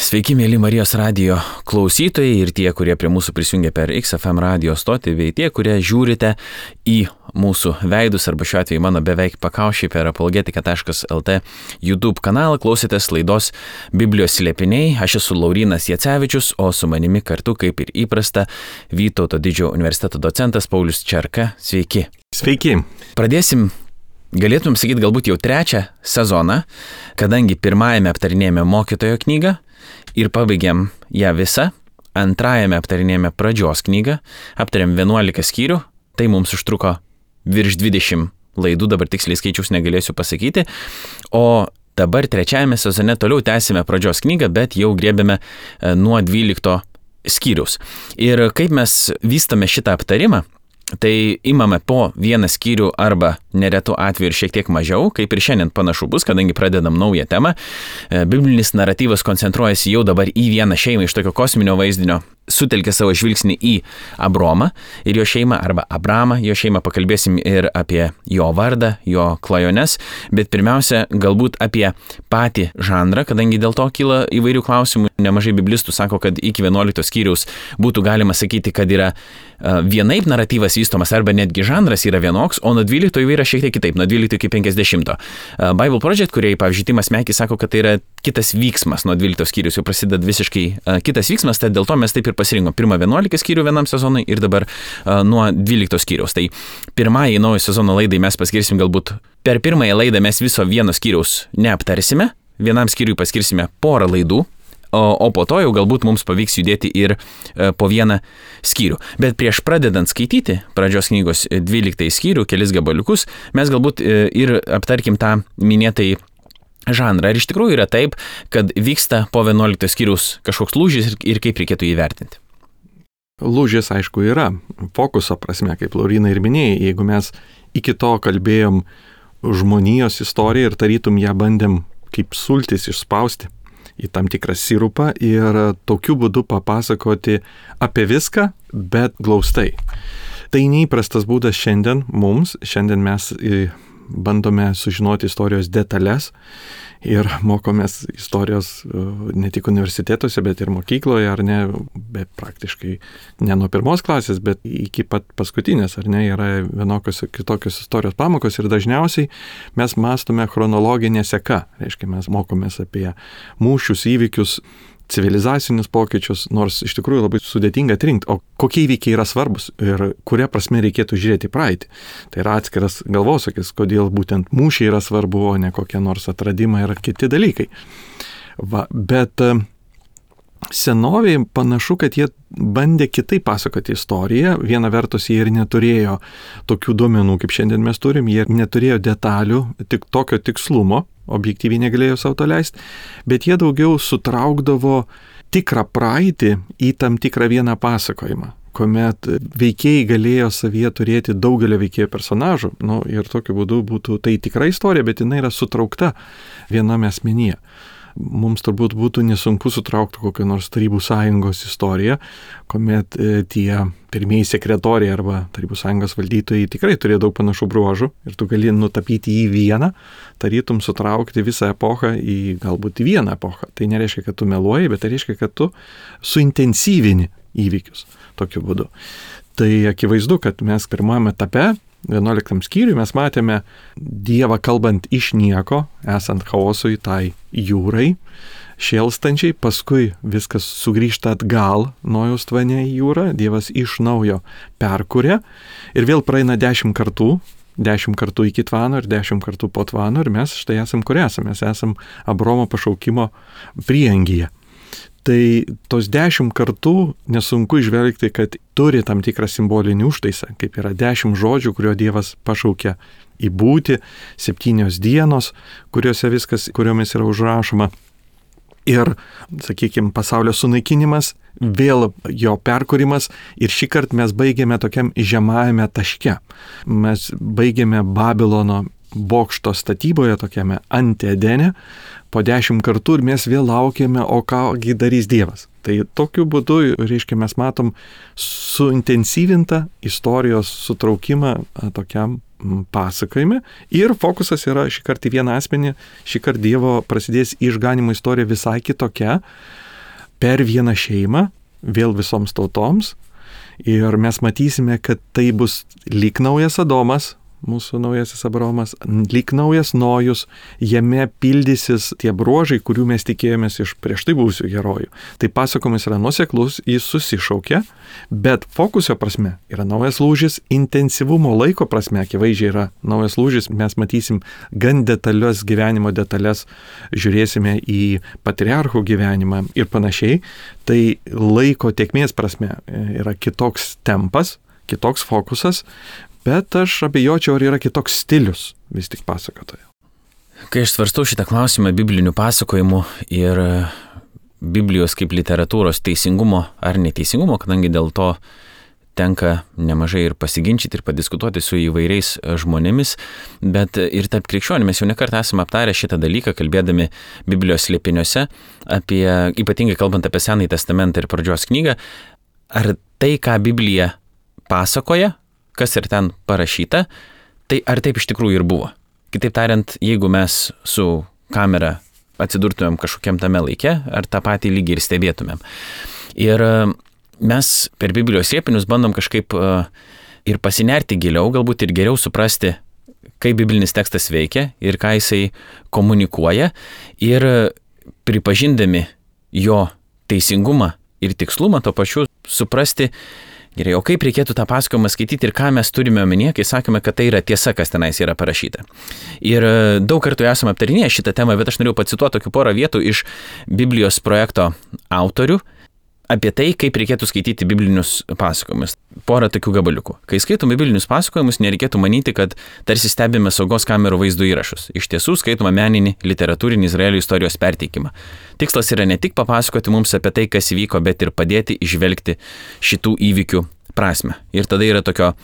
Sveiki, mėly Marijos radijo klausytojai ir tie, kurie prie mūsų prisijungia per XFM radijo stotį, bei tie, kurie žiūrite į mūsų veidus, arba šiuo atveju mano beveik pakaušį per apologetika.lt YouTube kanalą, klausėtės laidos Biblijos slėpiniai. Aš esu Laurynas Jacevičius, o su manimi kartu, kaip ir įprasta, Vytauto Didžiojo universiteto docentas Paulius Čerka. Sveiki. Sveiki. Pradėsim, galėtum sakyti, galbūt jau trečią sezoną, kadangi pirmajame aptarinėjame mokytojo knygą ir pabaigėm ją visą, antrajame aptarinėjame pradžios knygą, aptarėm 11 skyrių, tai mums užtruko virš 20 laidų, dabar tiksliai skaičius negalėsiu pasakyti, o dabar trečiajame sezone toliau tęsime pradžios knygą, bet jau griebėme nuo 12 skyrius. Ir kaip mes vystame šitą aptarimą, tai imame po vieną skyrių arba neretų atveju ir šiek tiek mažiau, kaip ir šiandien panašu bus, kadangi pradedam naują temą. Biblinis naratyvas koncentruojasi jau dabar į vieną šeimą iš tokio kosminio vaizdinio, sutelkia savo žvilgsnį į Abromą ir jo šeimą, arba Abramą, jo šeimą, pakalbėsim ir apie jo vardą, jo klajones, bet pirmiausia, galbūt apie patį žanrą, kadangi dėl to kyla įvairių klausimų. Nemažai biblistų sako, kad iki 11 skyriaus būtų galima sakyti, kad yra vienaip naratyvas vystomas, arba netgi žanras yra vienoks, o nuo 12 jau yra šiek tiek kitaip, nuo 12 iki 50. Bible Project, kurie, pavyzdžiui, Timas Mekis sako, kad tai yra kitas vyksmas, nuo 12 skyrius jau prasideda visiškai kitas vyksmas, tai dėl to mes taip ir pasirinkom pirmą 11 skyrių vienam sezonui ir dabar nuo 12 skyriaus. Tai pirmąjį naujo sezono laidai mes paskirsim galbūt per pirmąją laidą mes viso vieno skyriaus neaptarsime, vienam skyriui paskirsime porą laidų, o po to jau galbūt mums pavyks judėti ir po vieną skyrių. Bet prieš pradedant skaityti pradžios knygos 12 skyrių, kelis gabaliukus, mes galbūt ir aptarkim tą minėtai žanrą. Ar iš tikrųjų yra taip, kad vyksta po 11 skyriaus kažkoks lūžis ir kaip reikėtų jį vertinti? Lūžis, aišku, yra. Fokuso prasme, kaip Laurynai ir minėjai, jeigu mes iki to kalbėjom žmonijos istoriją ir tarytum ją bandėm kaip sultis išspausti į tam tikrą sirupą ir tokiu būdu papasakoti apie viską, bet glaustai. Tai neįprastas būdas šiandien mums. Šiandien mes bandome sužinoti istorijos detalės ir mokomės istorijos ne tik universitetuose, bet ir mokykloje, ar ne, bet praktiškai ne nuo pirmos klasės, bet iki pat paskutinės, ar ne, yra vienokios kitokios istorijos pamokos ir dažniausiai mes mąstome chronologinė seka, reiškia mes mokomės apie mūšius, įvykius, civilizacinius pokyčius, nors iš tikrųjų labai sudėtinga atrinkti, o kokie įvykiai yra svarbus ir kuria prasme reikėtų žiūrėti praeitį. Tai yra atskiras galvosūkis, kodėl būtent mūšiai yra svarbu, o ne kokie nors atradimai ir kiti dalykai. Bet senovėje panašu, kad jie bandė kitaip pasakoti istoriją. Viena vertus jie ir neturėjo tokių duomenų, kaip šiandien mes turim, jie neturėjo detalių, tik tokio tikslumo, objektyviai negalėjo savo to leisti, bet jie daugiau sutraukdavo tikrą praeitį į tam tikrą vieną pasakojimą, kuomet veikėjai galėjo savyje turėti daugelio veikėjų personažų, ir tokiu būdu būtų tai tikra istorija, bet jinai yra sutraukta viename asmenyje. Mums turbūt būtų nesunku sutraukti kokią nors Tarybų sąjungos istoriją, kuomet tie pirmieji sekretoriai arba Tarybų sąjungos valdytojai tikrai turėjo daug panašų bruožų ir tu gali nutapyti į vieną, tarytum sutraukti visą epochą į galbūt į vieną epochą. Tai nereiškia, kad tu meluoji, bet tai reiškia, kad tu suintensyvini įvykius tokiu būdu. Tai akivaizdu, kad mes pirmame etape 11 skyriui mes matėme Dievą kalbant iš nieko, esant chaosui tai jūrai, šėlstančiai, paskui viskas sugrįžta atgal Nojaus tvane į jūrą, Dievas iš naujo perkuria ir vėl praeina 10 kartų, 10 kartų iki tvano ir 10 kartų po tvano ir mes štai esam kur esam, mes esam Abromo pašaukimo prieangyje. Tai tos 10 kartų nesunku išvelgti, kad turi tam tikrą simbolinį užtaisą, kaip yra 10 žodžių, kurio Dievas pašaukia į būtį, 7 dienos, kuriomis yra užrašoma. Ir, sakykime, pasaulio sunaikinimas, vėl jo perkūrimas ir šį kartą mes baigėme tokiam žemajame taške. Mes baigėme Babilono bokšto statyboje, tokiame Anti-Edene, po 10 kartų ir mes vėl laukiame, o kągi darys Dievas. Tai tokiu būdu, reiškia, mes matom suintensyvintą istorijos sutraukimą tokiam pasakojime ir fokusas yra šį kartą į vieną asmenį, šį kartą Dievo prasidės išganimo istorija visai kitokia, per vieną šeimą, vėl visoms tautoms. Ir mes matysime, kad tai bus lyg naujas Adomas, mūsų naujasis Abraomas, lyg naujas Nojus, jame pildysis tie bruožai, kurių mes tikėjomės iš prieš tai buvusių herojų. Tai pasakojimas yra nuoseklus, jis susišaukia, bet fokuso prasme yra naujas lūžis, intensyvumo laiko prasme akivaizdžiai yra naujas lūžis, mes matysim gan detalios gyvenimo detalės, žiūrėsime į patriarchų gyvenimą ir panašiai. Tai laiko tėkmės prasme yra kitoks tempas, kitoks fokusas, bet aš abejočiau, ar yra kitoks stilius vis tik pasakotojo. Kai aš svarstau šitą klausimą biblinių pasakojimų ir Biblijos kaip literatūros teisingumo ar neteisingumo, kadangi dėl to tenka nemažai ir pasiginčyti ir padiskutuoti su įvairiais žmonėmis, bet ir tarp krikščionių mes jau nekart esame aptarę šitą dalyką, kalbėdami Biblijos slėpiniuose, ypatingai kalbant apie Senąjį testamentą ir Pradžios knygą, ar tai, ką Biblija pasakoja, kas ir ten parašyta, tai ar taip iš tikrųjų ir buvo. Kitaip tariant, jeigu mes su kamera atsidurtumėm kažkokiam tame laike, ar tą patį lygį ir stebėtumėm. Ir mes per Biblijos slėpinius bandom kažkaip ir pasinerti giliau, galbūt ir geriau suprasti, kaip biblinis tekstas veikia ir ką jisai komunikuoja, ir pripažindami jo teisingumą ir tikslumą, to pačiu suprasti, gerai, o kaip reikėtų tą pasakojimą skaityti ir ką mes turime omenyje, kai sakome, kad tai yra tiesa, kas tenais yra parašyta. Ir daug kartų esame aptarinėję šitą temą, bet aš norėjau pacituoti tokių porą vietų iš Biblijos projekto autorių apie tai, kaip reikėtų skaityti biblinius pasakojimus. Porą tokių gabaliukų. Kai skaitome biblinius pasakojimus, nereikėtų manyti, kad tarsi stebime saugos kamerų vaizdo įrašus. Iš tiesų skaitome meninį, literatūrinį Izraelio istorijos perteikimą. Tikslas yra ne tik papasakoti mums apie tai, kas įvyko, bet ir padėti įžvelgti šitų įvykių prasme. Ir tada yra tokio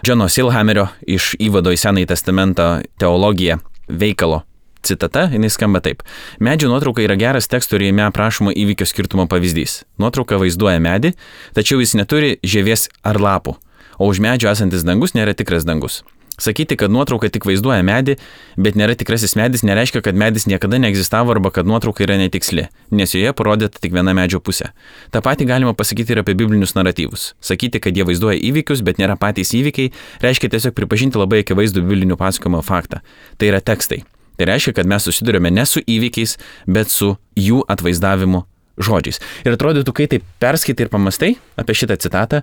Džono Silhamerio iš įvado į Senąjį testamentą teologiją veikalo citata, jinai skamba taip. Medžio nuotrauka yra geras teksto ir jame aprašomo įvykio skirtumo pavyzdys. Nuotrauka vaizduoja medį, tačiau jis neturi žievės ar lapų, o už medžio esantis dangus nėra tikras dangus. Sakyti, kad nuotrauka tik vaizduoja medį, bet nėra tikrasis medis, nereiškia, kad medis niekada neegzistavo arba kad nuotrauka yra netiksli, nes joje parodyta tik viena medžio pusė. Ta pati galima pasakyti ir apie biblinius naratyvus. Sakyti, kad jie vaizduoja įvykius, bet nėra patys įvykiai, reiškia tiesiog pripažinti labai akivaizdų biblinių pasakojimo faktą. Tai yra tekstai. Tai reiškia, kad mes susidurime ne su įvykiais, bet su jų atvaizdavimu žodžiais. Ir atrodytų, kai taip perskaitai ir pamastai apie šitą citatą,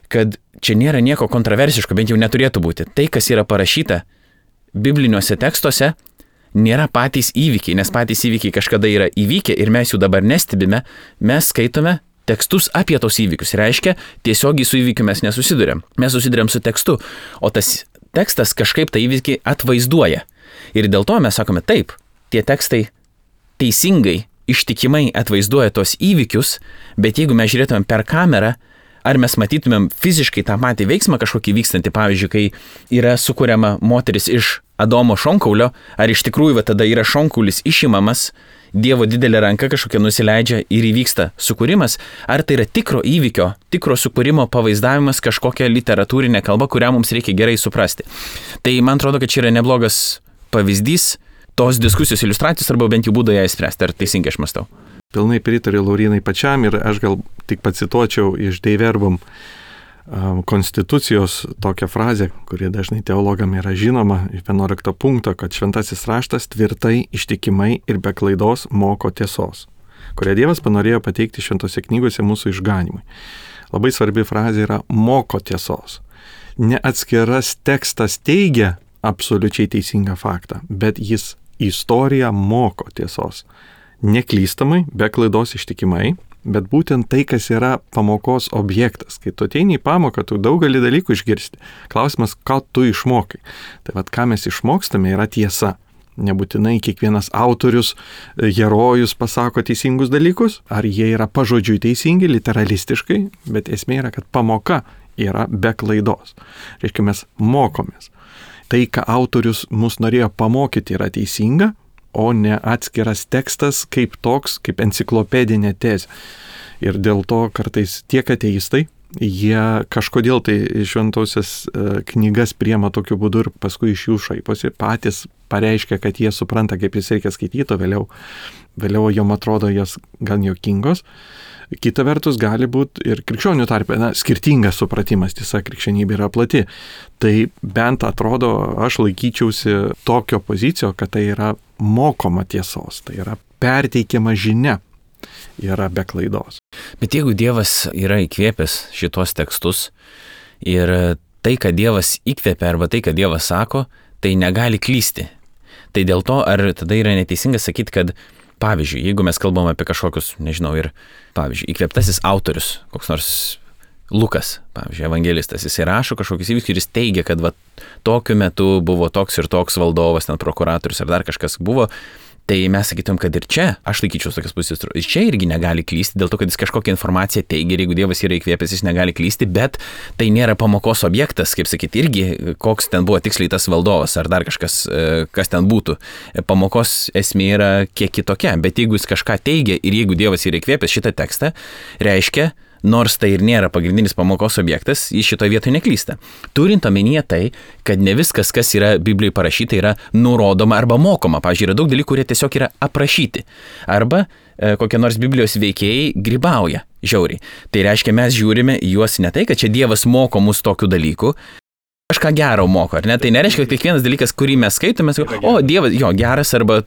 kad čia nėra nieko kontroversiško, bent jau neturėtų būti. Tai, kas yra parašyta bibliniuose tekstuose, nėra patys įvykiai, nes patys įvykiai kažkada yra įvykę ir mes jų dabar nestebime, mes skaitome tekstus apie tos įvykius. Reiškia, tiesiogiai su įvykiu mes nesusidurėm. Mes susidurėm su tekstu, o tas tekstas kažkaip tą įvykį atvaizduoja. Ir dėl to mes sakome taip, tie tekstai teisingai, ištikimai atvaizduoja tos įvykius, bet jeigu mes žiūrėtumėm per kamerą, ar mes matytumėm fiziškai tą patį veiksmą kažkokį vykstantį, pavyzdžiui, kai yra sukuriama moteris iš Adomo šonkaulio, ar iš tikrųjų tada yra šonkaulis išimamas, Dievo didelė ranka kažkokia nusileidžia ir įvyksta sukūrimas, ar tai yra tikro įvykio, tikro sukūrimo pavaizdavimas kažkokia literatūrinė kalba, kurią mums reikia gerai suprasti. Tai man atrodo, kad čia yra neblogas pavyzdys tos diskusijos iliustracijos arba bent jau būdo ją įspręsti, ar teisingai aš mąstau. Pilnai pritariu Laurinai pačiam ir aš gal tik pacituočiau iš Dei Verbum konstitucijos tokią frazę, kuri dažnai teologam yra žinoma, 11 punkto, kad šventasis raštas tvirtai, ištikimai ir be klaidos moko tiesos, kurią Dievas panorėjo pateikti šventose knygose mūsų išganimui. Labai svarbi frazė yra moko tiesos. Ne atskiras tekstas teigia absoliučiai teisingą faktą, bet jis istoriją moko tiesos. Neklystamai, be klaidos ištikimai, bet būtent tai, kas yra pamokos objektas. Kai tu ateini į pamoką, tu daugelį dalykų išgirsti. Klausimas, ką tu išmokai. Tai vat, ką mes išmokstame, yra tiesa. Nebūtinai kiekvienas autorius, herojus pasako teisingus dalykus, ar jie yra pažodžiui teisingi, literalistiškai, bet esmė yra, kad pamoka yra be klaidos. Reiškia, mes mokomės. Tai, ką autorius mus norėjo pamokyti, yra teisinga, o ne atskiras tekstas kaip toks, kaip enciklopedinė tezė. Ir dėl to kartais tiek ateistai, jie kažkodėl tai šventosios knygas priema tokiu būdu ir paskui iš jų šaiposi, patys pareiškia, kad jie supranta, kaip jis reikia skaityti, o vėliau jom atrodo jas gan juokingos. Kita vertus gali būti ir krikščionių tarpe, skirtingas supratimas, tiesa, krikščionybė yra plati. Tai bent atrodo, aš laikyčiausi tokio pozicijo, kad tai yra mokoma tiesos, tai yra perteikiama žinia, yra be klaidos. Bet jeigu Dievas yra įkvėpęs šitos tekstus ir tai, kad Dievas įkvėpia arba tai, kad Dievas sako, tai negali klysti. Tai dėl to, ar tada yra neteisinga sakyti, kad pavyzdžiui, jeigu mes kalbam apie kažkokius, nežinau, ir pavyzdžiui, įkvėptasis autorius, koks nors Lukas, pavyzdžiui, evangelistas, jis rašo kažkokius įvykius ir jis teigia, kad tokiu metu buvo toks ir toks valdovas, ten prokuratorius ar dar kažkas buvo, tai mes sakytum, kad ir čia, aš laikyčiau tokias pusės, čia irgi negali klysti, dėl to, kad jis kažkokią informaciją teigia ir jeigu Dievas yra įkvėpęs, jis negali klysti, bet tai nėra pamokos objektas, kaip sakyti, irgi koks ten buvo tiksliai tas valdovas ar dar kažkas, kas ten būtų. Pamokos esmė yra kiek kitokia, bet jeigu jis kažką teigia ir jeigu Dievas yra įkvėpęs šitą tekstą, reiškia, nors tai ir nėra pagrindinis pamokos objektas, jis šitoje vietoje neklysta. Turint omenyje tai, kad ne viskas, kas yra Biblijoje parašyta, yra nurodoma arba mokoma. Pavyzdžiui, yra daug dalykų, kurie tiesiog yra aprašyti. Arba kokie nors Biblijos veikėjai grybauja žiauriai. Tai reiškia, mes žiūrime į juos ne tai, kad čia Dievas moko mus tokių dalykų, kažką gero moko, ar ne? Tai nereiškia, kad kiekvienas dalykas, kurį mes skaitome, o Dievas, jo, geras arba,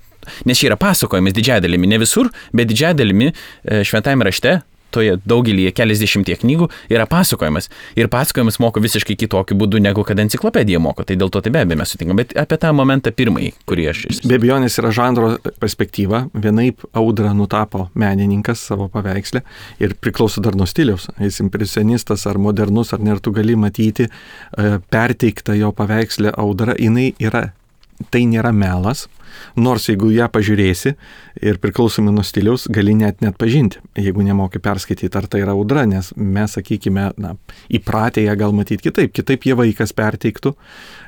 nes čia yra pasakojimas didžiąją dalimi, ne visur, bet didžiąją dalimi šventajame rašte, toje daugelį keliasdešimties knygų yra pasakojimas. Ir pasakojimas moko visiškai kitokiu būdu, negu kad enciklopedija moko. Tai dėl to tai be abejo mes sutinkam. Bet apie tą momentą pirmąjį, kurį aš... Be abejonės yra žanro perspektyva. Vienaip audrą nutapo menininkas savo paveikslę ir priklauso dar nuo stiliaus. Jis impresionistas ar modernus, ar ne, tu gali matyti perteiktą jo paveikslę audrą. Tai nėra melas, nors jeigu ją pažiūrėsi ir priklausomai nuo stiliaus, gali net pažinti, jeigu nemoki perskaityti, ar tai yra audra, nes mes, sakykime, įpratę ją gal matyti kitaip jie vaikas perteiktų,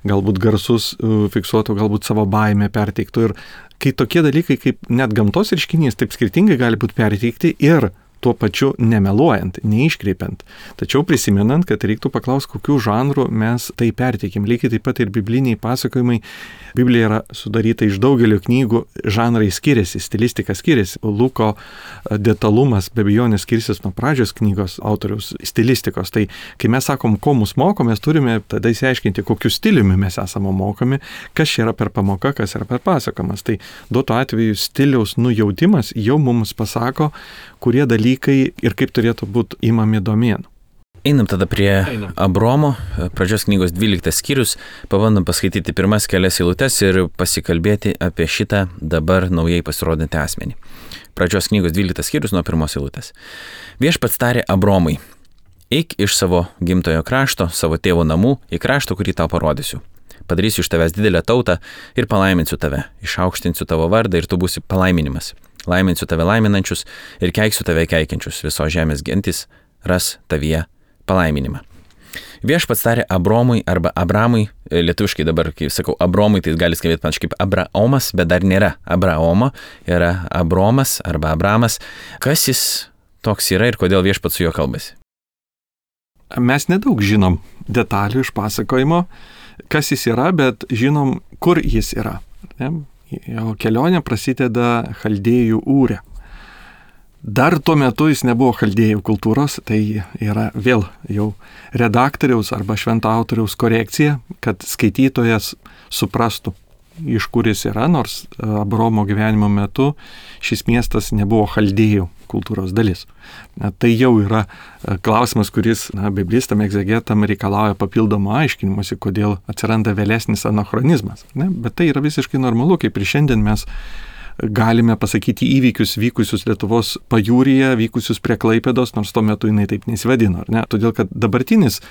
galbūt garsus fiksuotų, galbūt savo baimę perteiktų ir kai tokie dalykai kaip net gamtos reiškinys taip skirtingai gali būti perteikti ir tuo pačiu nemeluojant, neiškreipiant. Tačiau prisimenant, kad reiktų paklausti, kokių žanrų mes tai perteikim. Lygiai taip pat ir bibliniai pasakojimai. Biblija yra sudaryta iš daugelio knygų, žanrai skiriasi, stilistika skiriasi. Luko detalumas be abejonės skirsis nuo pradžios knygos autoriaus stilistikos. Tai kai mes sakom, ko mus moko, mes turime tada įsiaiškinti, kokiu stiliumi mes esame mokomi, kas yra per pamoka, kas yra per pasakojimas. Tai duotu atveju stiliaus nujautimas jau mums pasako, kurie dalykai ir kaip turėtų būti imami domėn. Einam tada prie Abromo, pradžios knygos 12 skyrius, pabandom paskaityti pirmas kelias eilutes ir pasikalbėti apie šitą dabar naujai pasirodantį asmenį. Pradžios knygos 12 skyrius nuo pirmos eilutės. Viešpats tarė Abromui, eik iš savo gimtojo krašto, savo tėvo namų, į kraštą, kurį tau parodysiu. Padarysiu iš tavęs didelę tautą ir palaiminsiu tave, išaukštinsiu tavo vardą ir tu būsi palaiminimas. Laiminsiu tave laiminančius ir keiksiu tave keikiančius, visos žemės gentis ras tavyje palaiminimą. Viešpats tarė Abromui arba Abramui, lietuviškai dabar, kai sakau Abromui, tai gali skambėti panašiai kaip Abraomas, bet dar nėra Abraomo, yra Abromas arba Abramas. Kas jis toks yra ir kodėl viešpats su juo kalbasi? Mes nedaug žinom detalių iš pasakojimo, kas jis yra, bet žinom, kur jis yra. Ne? Jo kelionė prasideda Chaldėjų Ūre. Dar tuo metu jis nebuvo Chaldėjų kultūros, tai yra vėl jau redaktoriaus arba švento autoriaus korekcija, kad skaitytojas suprastų, iš kur jis yra, nors Abromo gyvenimo metu šis miestas nebuvo Chaldėjų kultūros dalis. Tai jau yra klausimas, kuris biblistam, egzegetam reikalauja papildomo aiškinimuose, kodėl atsiranda vėlesnis anachronizmas. Bet tai yra visiškai normalu, kaip ir šiandien mes galime pasakyti įvykius vykusius Lietuvos pajūryje, vykusius prie Klaipėdos, nors tuo metu jinai taip nesivadino, ar ne? Todėl, kad dabartinis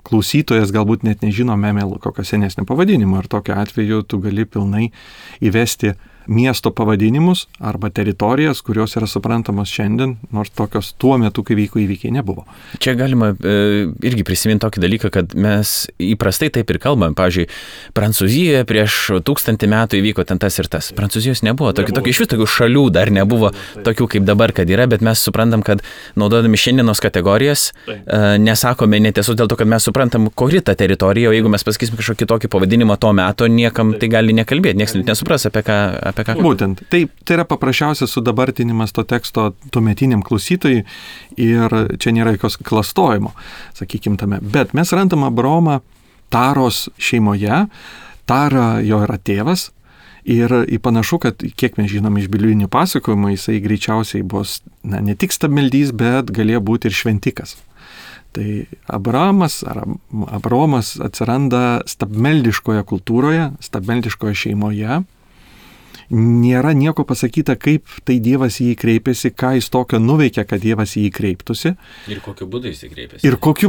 klausytojas galbūt net nežino Memel kokio senesnio pavadinimo ir tokiu atveju tu gali pilnai įvesti miesto pavadinimus arba teritorijas, kurios yra suprantamos šiandien, nors tokios tuo metu, kai vyko įvykiai, nebuvo. Čia galima irgi prisiminti tokį dalyką, kad mes įprastai taip ir kalbam. Pavyzdžiui, Prancūzijoje prieš 1000 metų įvyko ten tas ir tas. Prancūzijos nebuvo. Iš vis tokių šalių dar nebuvo tokių kaip dabar, kad yra, bet mes suprantam, kad naudodami šiandienos kategorijas nesakome netiesos dėl to, kad mes suprantam, kuri ta teritorija, o jeigu mes pasakysime kažkokį tokį pavadinimą to meto, niekam tai gali nekalbėti, niekas nesupras apie ką. Būtent. Tai yra paprasčiausias sudabartinimas to teksto tuometiniam klausytojui ir čia nėra jokios klastojimo, sakykime tame. Bet mes randam Abraomą Taros šeimoje, Tara jo yra tėvas ir panašu, kad kiek mes žinom iš biblijinių pasakojimų, jisai greičiausiai bus ne tik stabmeldys, bet galėjo būti ir šventikas. Tai Abraomas atsiranda stabmeldiškoje kultūroje, stabmeldiškoje šeimoje. Nėra nieko pasakyta, kaip tai Dievas į jį kreipėsi, ką jis tokio nuveikė, kad Dievas į jį kreiptųsi. Ir kokiu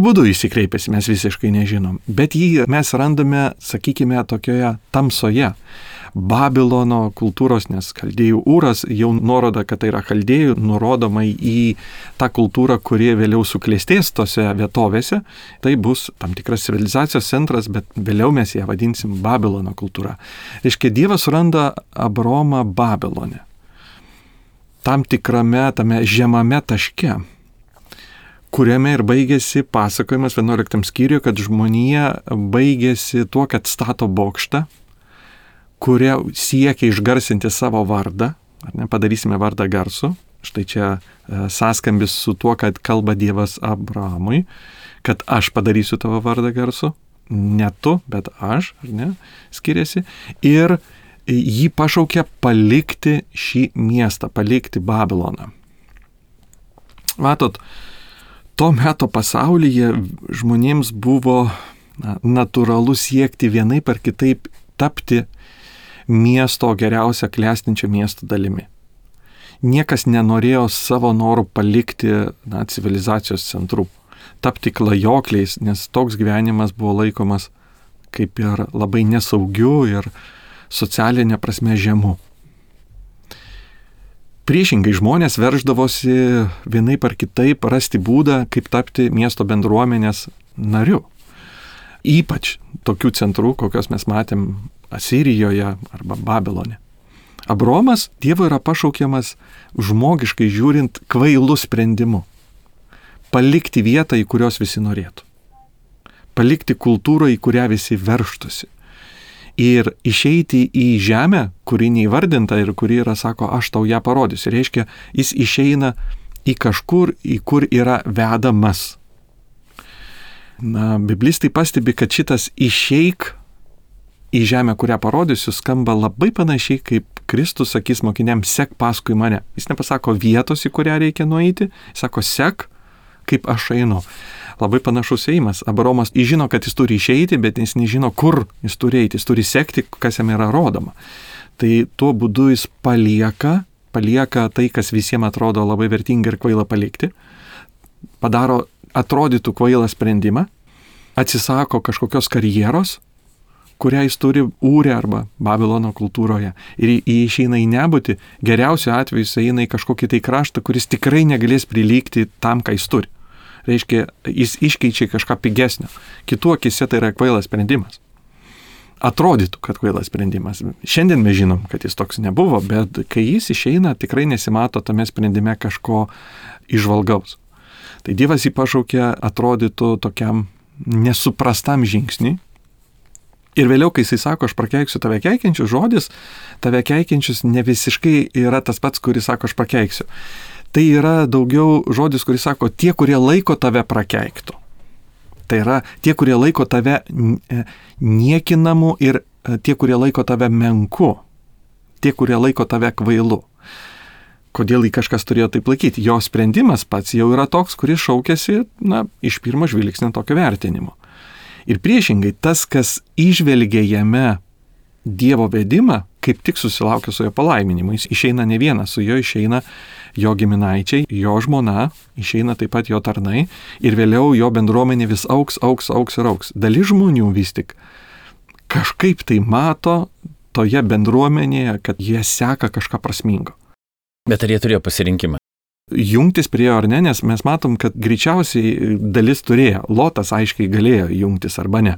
būdu jis kreipėsi, mes visiškai nežinom. Bet jį mes randame, sakykime, tokioje tamsoje. Babilono kultūros, nes Chaldėjų Ūras jau nuroda, kad tai yra Chaldėjų, nurodoma į tą kultūrą, kurie vėliau suklestės tose vietovėse. Tai bus tam tikras civilizacijos centras, bet vėliau mes ją vadinsim Babilono kultūra. Reiškia, Dievas suranda Abraomą Babilone. Tam tikrame, tame žemame taške, kuriame ir baigėsi pasakojimas 11 skyriuje, kad žmonija baigėsi tuo, kad stato bokštą, kurie siekia išgarsinti savo vardą, ar ne, padarysime vardą garsu. Štai čia sąskambis su tuo, kad kalba Dievas Abraomui, kad aš padarysiu tavo vardą garsu, ne tu, bet aš, ar ne, skiriasi. Ir jį pašaukė palikti šį miestą, palikti Babiloną. Matot, to meto pasaulyje žmonėms buvo natūralu siekti vienaip ar kitaip tapti miesto geriausia klestinčio miesto dalimi. Niekas nenorėjo savo norų palikti civilizacijos centrų, tapti klajokliais, nes toks gyvenimas buvo laikomas kaip ir labai nesaugiu ir socialinė prasme žemu. Priešingai žmonės verždavosi vienaip ar kitaip rasti būdą, kaip tapti miesto bendruomenės nariu. Ypač tokių centrų, kokios mes matėm Asirijoje arba Babilone. Abraomas Dievo yra pašaukiamas žmogiškai žiūrint kvailų sprendimu. Palikti vietą, į kurios visi norėtų. Palikti kultūrą, į kurią visi verštųsi. Ir išeiti į žemę, kuri neįvardinta ir kuri yra, sako, aš tau ją parodysiu. Reiškia, jis išeina į kažkur, į kur yra vedamas. Biblistai pastebi, kad šitas išeik į žemę, kurią parodysiu, skamba labai panašiai, kaip Kristus sakys mokiniams, sek paskui mane. Jis nepasako vietos, į kurią reikia nueiti, jis sako, sek, kaip aš einu. Labai panašus ėjimas. Abraomas žino, kad jis turi išeiti, bet jis nežino, kur jis turi eiti, jis turi sekti, kas jam yra rodoma. Tai tuo būdu jis palieka tai, kas visiems atrodo labai vertinga ir kvaila palikti, padaro atrodytų kvailą sprendimą, atsisako kažkokios karjeros, kurią jis turi Ūre arba Babilono kultūroje. Ir išeina į nebūtį, geriausiu atveju jis eina į kažkokį tai kraštą, kuris tikrai negalės prilygti tam, ką jis turi. Reiškia, jis iškeičia kažką pigesnio. Kitų akise tai yra kvailas sprendimas. Atrodytų, kad kvailas sprendimas. Šiandien mes žinom, kad jis toks nebuvo, bet kai jis išeina, tikrai nesimato tame sprendime kažko įžvalgaus. Tai Dievas jį pašaukė, atrodytų tokiam nesuprastam žingsniui. Ir vėliau, kai jisai sako, aš prakeiksiu tave keikiančius, žodis, tave keikiančius ne visiškai yra tas pats, kuris sako, aš prakeiksiu. Tai yra daugiau žodis, kuris sako, tie, kurie laiko tave prakeiktų. Tai yra tie, kurie laiko tave niekinamu ir tie, kurie laiko tave menku. Tie, kurie laiko tave kvailu. Kodėl jį kažkas turėjo taip laikyti? Jo sprendimas pats jau yra toks, kuris šaukėsi, iš pirmo žvilgsnio tokio vertinimo. Ir priešingai, tas, kas įžvelgia jame Dievo vedimą, kaip tik susilaukia su jo palaiminimu. Jis išeina ne vienas, su jo išeina jo giminaičiai, jo žmona, išeina taip pat jo tarnai ir vėliau jo bendruomenė vis auks ir auks. Dalis žmonių vis tik kažkaip tai mato toje bendruomenėje, kad jie seka kažką prasmingo. Bet ar jie turėjo pasirinkimą? Jungtis prie jo ar ne, nes mes matom, kad greičiausiai dalis turėjo. Lotas aiškiai galėjo jungtis arba ne.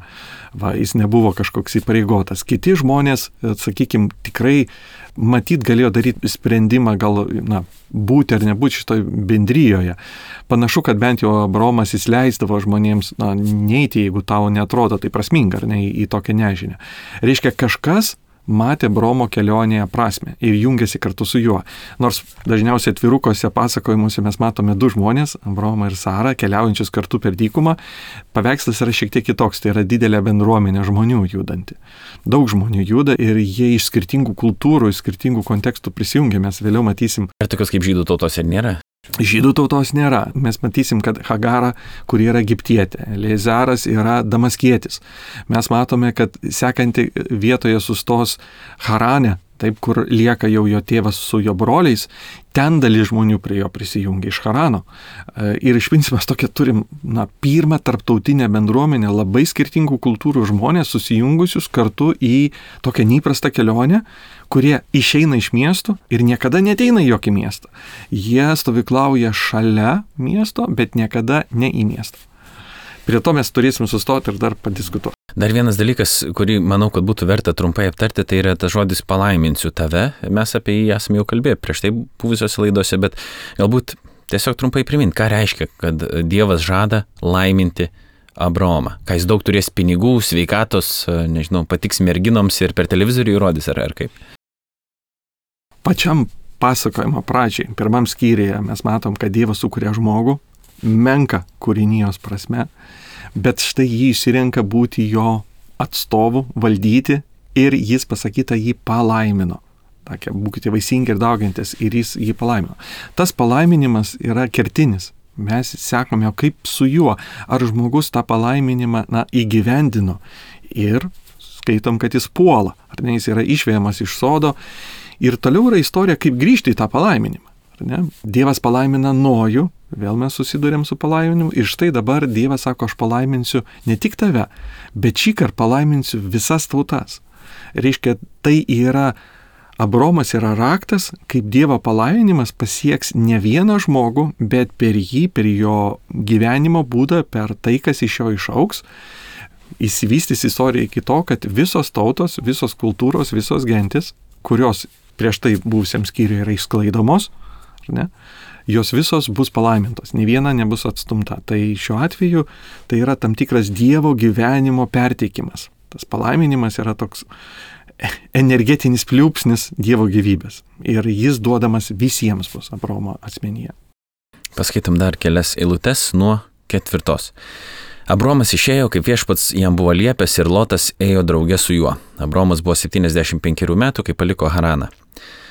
Jis nebuvo kažkoks įpareigotas. Kiti žmonės, sakykime, tikrai matyt galėjo daryti sprendimą, gal būti ar nebūti šitoj bendryjoje. Panašu, kad bent jau Abraomas jis leisdavo žmonėms neiti, jeigu tau neatrodo tai prasminga, ar ne, į tokią nežinią. Reiškia, kažkas matė Abraomo kelionėje prasmę ir jungėsi kartu su juo. Nors dažniausiai atvirukose pasakojimuose mes matome du žmonės, Abraomą ir Sarą, keliaujančius kartu per dykumą. Paveikslas yra šiek tiek kitoks, tai yra didelė bendruomenė žmonių judanti. Daug žmonių juda ir jie iš skirtingų kultūrų, iš skirtingų kontekstų prisijungia, mes vėliau matysim. Ar tokios kaip žydų tautos ir nėra? Žydų tautos nėra. Mes matysim, kad Hagara, kuri yra egiptietė, Eliezaras yra damaskietis. Mes matome, kad sekanti vietoje sustos Harane, taip, kur lieka jau jo tėvas su jo broliais, ten dalis žmonių prie jo prisijungia iš Harano. Ir iš principo mes tokia turim, pirmą tarptautinę bendruomenę, labai skirtingų kultūrų žmonės susijungusius kartu į tokią neįprastą kelionę, kurie išeina iš miestų ir niekada neteina į jokį miestą. Jie stovyklauja šalia miesto, bet niekada ne į miestą. Prie to mes turėsim sustoti ir dar padiskutuoti. Dar vienas dalykas, kurį manau, kad būtų verta trumpai aptarti, tai yra tas žodis palaiminsiu tave. Mes apie jį esame jau kalbėję prieš tai buvusiose laidose, bet galbūt tiesiog trumpai primint, ką reiškia, kad Dievas žada laiminti Abraomą. Ką jis daug turės pinigų, sveikatos, nežinau, patiks merginoms ir per televizorių įrodys, ar kaip? Pačiam pasakojimo pradžiai, pirmam skyriuje mes matom, kad Dievas sukuria žmogų, menka kūrinijos prasme, bet štai jį išsirenka būti jo atstovu, valdyti ir jis pasakyta jį palaimino. Tokia, būkite vaisingi ir daugiantis ir jis jį palaimino. Tas palaiminimas yra kertinis. Mes sekame, kaip su juo, ar žmogus tą palaiminimą įgyvendino ir skaitom, kad jis puola, ar ne, jis yra išvejamas iš sodo. Ir toliau yra istorija, kaip grįžti į tą palaiminimą. Dievas palaimina Nojų, vėl mes susidurėm su palaiminimu ir štai dabar Dievas sako, aš palaiminsiu ne tik tave, bet šįkart palaiminsiu visas tautas. Reiškia, tai yra, Abraomas yra raktas, kaip Dievo palaiminimas pasieks ne vieną žmogų, bet per jį, per jo gyvenimo būdą, per tai, kas iš jo išauks, įsivystys istorija iki to, kad visos tautos, visos kultūros, visos gentis, kurios prieš tai buvusiam skyriui yra išsklaidomos, ne, jos visos bus palaimintos, nei viena nebus atstumta. Tai šiuo atveju tai yra tam tikras Dievo gyvenimo perteikimas. Tas palaiminimas yra toks energetinis pliūpsnis Dievo gyvybės ir jis duodamas visiems bus Abraomo asmenyje. Paskaitom dar kelias eilutes nuo 4. Abraomas išėjo, kaip viešpats jam buvo liepęs ir Lotas ėjo drauge su juo. Abraomas buvo 75 metų, kai paliko Haraną.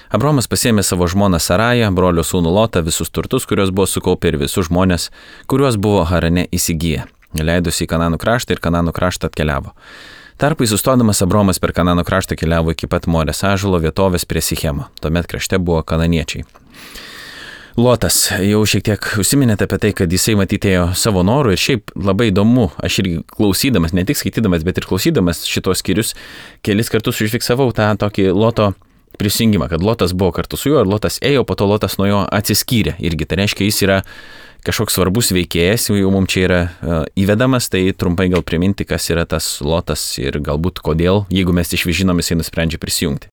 Abraomas pasiėmė savo žmoną Sarają, brolio sūnų Lotą, visus turtus, kuriuos buvo sukaupę ir visus žmonės, kuriuos buvo Harane įsigiję. Leidosi į Kananų kraštą ir Kananų kraštą atkeliavo. Tarpai sustodamas Abraomas per Kananų kraštą keliavo iki pat Morės ąžuolo vietovės prie Sichemo. Tuomet krašte buvo kananiečiai. Lotas, jau šiek tiek užsiminėte apie tai, kad jisai matydėjo savo norų ir šiaip labai įdomu, aš irgi klausydamas, ne tik skaitydamas, bet ir klausydamas šitos skyrius, kelis kartus užfiksavau tą tokį Loto prisijungimą, kad Lotas buvo kartu su juo ir Lotas ėjo, po to Lotas nuo jo atsiskyrė. Irgi tai reiškia, jis yra kažkoks svarbus veikėjas, jau mums čia yra įvedamas, tai trumpai gal priminti, kas yra tas Lotas ir galbūt kodėl, jeigu mes išvižinom, jisai nusprendžia prisijungti.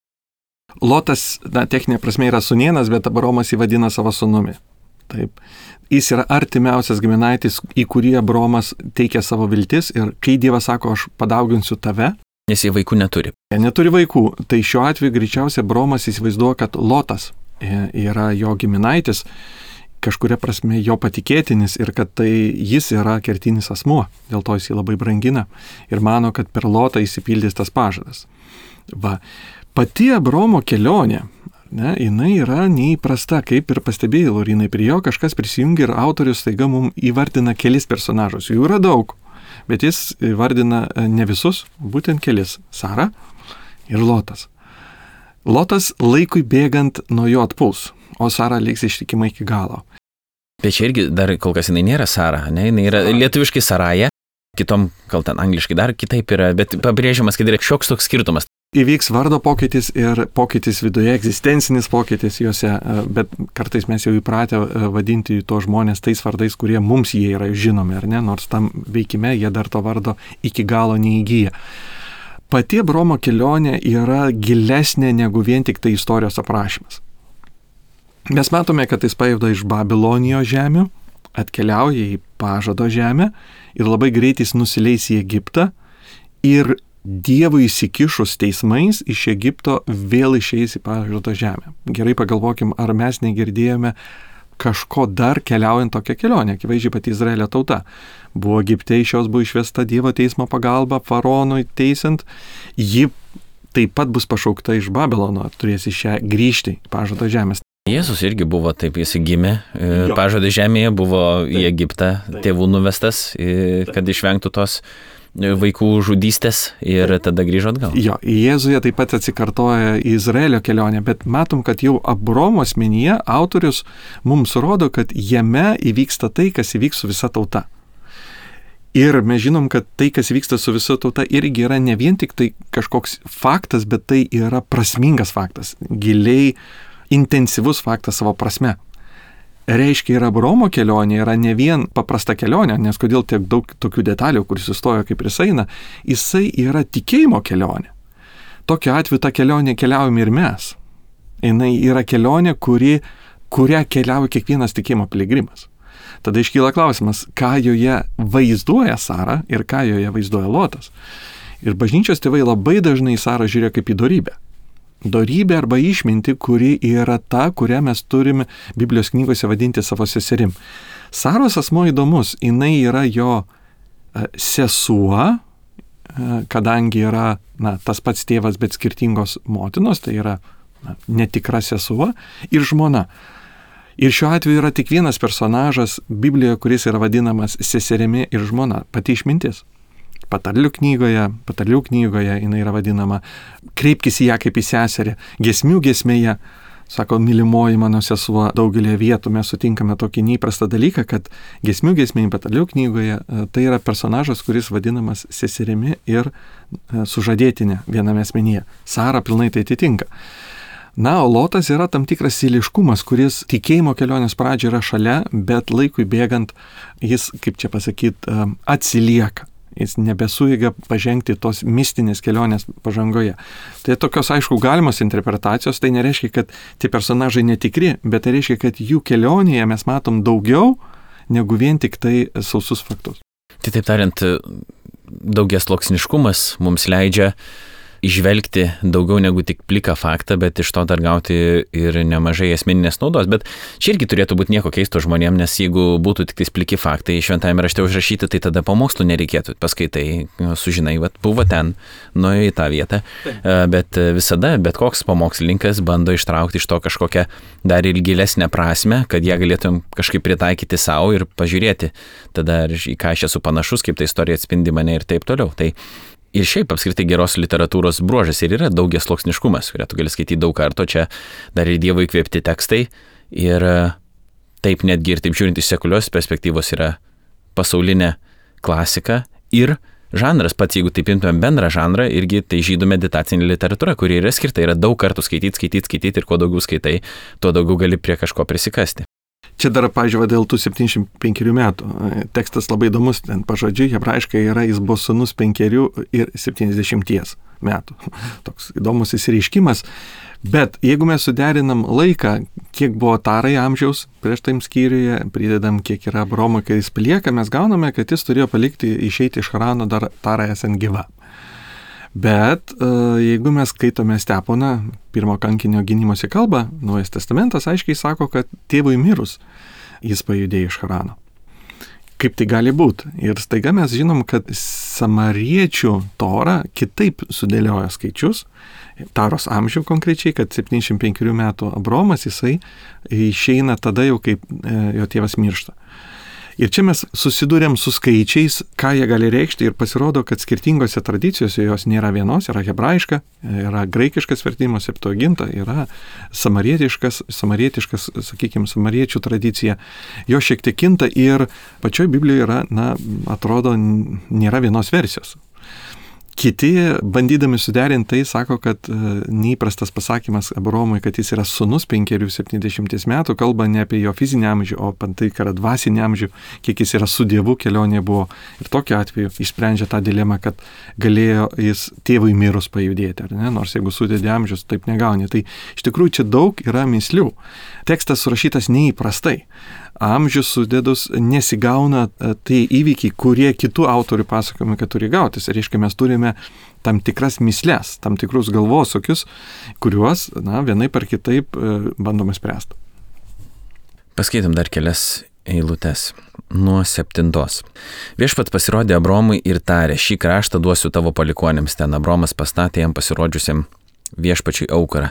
Lotas, techninė prasme yra sūnėnas, bet Abraomas jį vadina savo sūnumi. Taip. Jis yra artimiausias giminaitis, į kurį Abraomas teikia savo viltis ir kai Dievas sako, aš padauginsiu tave. Nes jie vaikų neturi. Jie neturi vaikų. Tai šiuo atveju greičiausiai Abraomas įsivaizduoja, kad Lotas yra jo giminaitis, kažkuria prasme jo patikėtinis ir kad tai jis yra kertinis asmuo. Dėl to jis jį labai brangina ir mano, kad per Lotą įsipildys tas pažadas. Pati Abraomo kelionė, jinai yra neįprasta, kaip ir pastebėjai, Laurinai, prie jo kažkas prisijungia ir autorius staiga mums įvardina kelis personažus. Jų yra daug, bet jis įvardina ne visus, būtent kelis – Sara ir Lotas. Lotas laikui bėgant nuo jo atpuls, o Sara liks ištikima iki galo. Bet čia irgi dar kol kas jinai nėra Sara, ne? Jinai yra lietuviškai Saraja, kitom, gal ten angliškai dar kitaip yra, bet pabrėžiamas, kad yra šioks toks skirtumas. įvyks vardo pokytis ir pokytis viduje, egzistencinis pokytis juose, bet kartais mes jau įpratę vadinti to žmonės tais vardais, kurie mums jie yra žinomi, ar ne, nors tam veikime jie dar to vardo iki galo neįgyja. Pati Abraomo kelionė yra gilesnė negu vien tik tai istorijos aprašymas. Mes matome, kad jis pajuda iš Babilonijos žemių, atkeliauja į pažado žemę ir labai greitai jis nusileis į Egiptą ir Dievui įsikišus teismais iš Egipto vėl išeis į pažado žemę. Gerai pagalvokim, ar mes negirdėjome kažko dar keliaujant tokią kelionę. Akivaizdžiai pati Izraelio tauta buvo Egipte, iš jos buvo išvesta Dievo teismo pagalba faraonui teisiant. Ji taip pat bus pašaukta iš Babilono, turės iš ją grįžti į pažado žemės. Jėzus irgi buvo taip, jis gimė pažado žemėje, buvo į Egiptą tėvų nuvestas, kad išvengtų tos vaikų žudystės ir tada grįžo atgal. Jo, Jėzuje taip pat atsikartoja į Izraelio kelionę, bet matom, kad jau Abraomo asmenyje autorius mums rodo, kad jame įvyksta tai, kas įvyks su visa tauta. Ir mes žinom, kad tai, kas vyksta su visa tauta, irgi yra ne vien tik tai kažkoks faktas, bet tai yra prasmingas faktas, giliai intensyvus faktas savo prasme. Reiškia, ir Abraomo kelionė yra ne vien paprasta kelionė, nes kodėl tiek daug tokių detalių, kuris sustojo kaip ir eina, jisai yra tikėjimo kelionė. Tokiu atveju tą kelionę keliaujame ir mes. Jinai yra kelionė, kurią keliauja kiekvienas tikėjimo piligrimas. Tada iškyla klausimas, ką joje vaizduoja Sara ir ką joje vaizduoja Lotas. Ir bažnyčios tėvai labai dažnai Sarą žiūrėjo kaip į dorybę. Dorybė arba išminti, kuri yra ta, kurią mes turime Biblijos knygose vadinti savo seserim. Saros asmo įdomus, jinai yra jo sesuo, kadangi yra tas pats tėvas, bet skirtingos motinos, tai yra netikra sesuo ir žmona. Ir šiuo atveju yra tik vienas personažas Biblijoje, kuris yra vadinamas seserimi ir žmona, pati išmintis. Patarlių knygoje jinai yra vadinama, kreipkis į ją kaip į seserį. Giesmių giesmėje, sako, mylimoji mano sesuo, daugelį vietų mes sutinkame tokį neįprastą dalyką, kad giesmių giesmėje, patarlių knygoje, tai yra personažas, kuris vadinamas seserimi ir sužadėtinė viename asmenyje. Sara pilnai tai atitinka. Na, o Lotas yra tam tikras siliškumas, kuris tikėjimo kelionės pradžia yra šalia, bet laikui bėgant jis, kaip čia pasakyti, atsilieka. Jis nebesuiga pažengti tos mistinės kelionės pažangoje. Tai tokios, aišku, galimos interpretacijos, tai nereiškia, kad tie personažai netikri, bet tai reiškia, kad jų kelionėje mes matom daugiau negu vien tik tai sausus faktus. Tai taip tariant, daugiasluoksniškumas mums leidžia įžvelgti daugiau negu tik pliką faktą, bet iš to dar gauti ir nemažai asmeninės naudos. Bet čia irgi turėtų būti nieko keisto žmonėm, nes jeigu būtų tik pliki faktai šventajame rašte užrašyti, tai tada pamokslų nereikėtų. Paskaitai, sužinai, buvo ten, nuėjo į tą vietą. Bet visada, bet koks pamokslininkas bando ištraukti iš to kažkokią dar ir gilesnę prasme, kad ją galėtum kažkaip pritaikyti savo ir pažiūrėti tada, į ką aš esu panašus, kaip ta istorija atspindi mane ir taip toliau. Tai ir šiaip apskritai geros literatūros bruožas ir yra daugiasluoksniškumas, kurią tu gali skaityti daug kartų, čia dar ir Dievo įkvėpti tekstai ir taip netgi ir taip žiūrint iš sekulios perspektyvos yra pasaulinė klasika ir žanras, pats jeigu taip imtumėm bendrą žanrą, irgi tai žydų meditacinė literatūra, kuri yra skirta, yra daug kartų skaityti ir kuo daugiau skaitai, tuo daugiau gali prie kažko prisikasti. Čia dar, pažiūrėjau, dėl tų 75 metų. Tekstas labai įdomus, ten pažodžiui, hebrajiškai yra, jis buvo sūnus 5 ir 70 metų. Toks įdomus įsireiškimas. Bet jeigu mes suderinam laiką, kiek buvo Tarai amžiaus prieš tam skyriuje, pridedam, kiek yra Abraomo, kai jis palieka, mes gauname, kad jis turėjo išeiti iš Harano dar Tarai esant gyva. Bet jeigu mes skaitome Steponą, pirmo kankinio gynimosi kalbą, Naujas testamentas aiškiai sako, kad tėvui mirus jis pajudėjo iš Harano. Kaip tai gali būti? Ir staiga mes žinom, kad samariečių Tora kitaip sudėlioja skaičius, Taros amžių konkrečiai, kad 75 metų Abraomas jisai išeina tada jau, kaip jo tėvas miršta. Ir čia mes susidūrėm su skaičiais, ką jie gali reikšti ir pasirodo, kad skirtingose tradicijose jos nėra vienos, yra hebrajiška, yra graikiškas vertimas, septuaginta, yra samarietiškas, sakykime, samariečių tradicija. Jo šiek tiek kinta ir pačioj Biblijoje yra, atrodo, nėra vienos versijos. Kiti, bandydami suderinti tai, sako, kad neįprastas pasakymas Abraomui, kad jis yra sūnus 5-70 metų, kalba ne apie jo fizinį amžių, o apie tai, kad yra dvasinį amžių, kiek jis yra su Dievu kelionė buvo. Ir tokiu atveju išsprendžia tą dilemą, kad galėjo jis tėvui mirus pajudėti, ar ne? Nors jeigu sudėdė amžius, taip negauni. Tai iš tikrųjų čia daug yra mįslių. Tekstas surašytas neįprastai. Amžius sudėdus nesigauna tai įvykiai, kurie kitų autorių pasakojami, kad turi gautis. Reiškia, mes turime tam tikras mįsles, tam tikrus galvosokius, kuriuos, vienaip ar kitaip bandome spręsti. Paskaitom dar kelias eilutes. Nuo 7. Viešpats pasirodė Abromui ir tarė, šį kraštą duosiu tavo palikuonėms. Ten Abromas pastatė jam pasirodžiusiam viešpačiui aukurą.